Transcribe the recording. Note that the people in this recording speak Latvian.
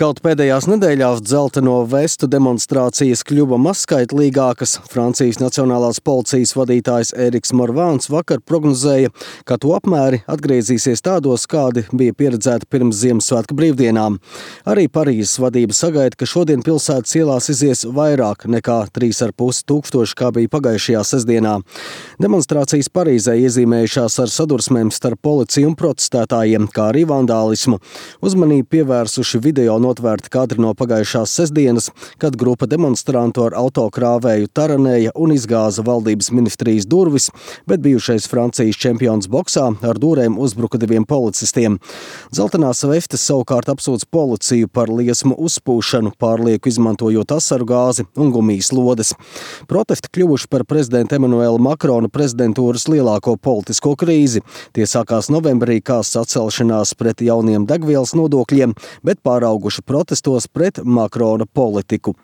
Kaut pēdējās nedēļās dzelteno vestu demonstrācijas kļuva mazskaitlīgākas, Francijas Nacionālās policijas vadītājs Eriks Morvāns vakar prognozēja, ka to apmēri atgriezīsies tādos, kādi bija pieredzēti pirms Ziemassvētku brīvdienām. Arī Parīzes vadība sagaida, ka šodien pilsētas ielās izies vairāk nekā 3,5 tūkstoši, kā bija pagājušajā sestdienā. Demonstrācijas Parīzē iezīmējušās ar sadursmēm starp policiju un protestētājiem, kā arī vandālismu. Uzmanību pievērsuši video notvērti kadri no pagājušās sestdienas, kad grupa demonstrantu ar autokrāvēju taranēja un izgāza valdības ministrijas durvis, bet bijušais Francijas čempions boksā ar dūrēm uzbruka 2 policistiem. Dzeltenās vestes savukārt apsūdz policiju par liesmu uzpūšanu, pārlieku izmantojot asaru gāzi un gumijas lodes. Protesti kļuvuši par prezidenta Emanuela Makrona prezidentūras lielāko politisko krīzi. Tie sākās novembrī kā sacelšanās pret jauniem degvielas nodokļiem, bet pārauguši protestos pret Makrona politiku.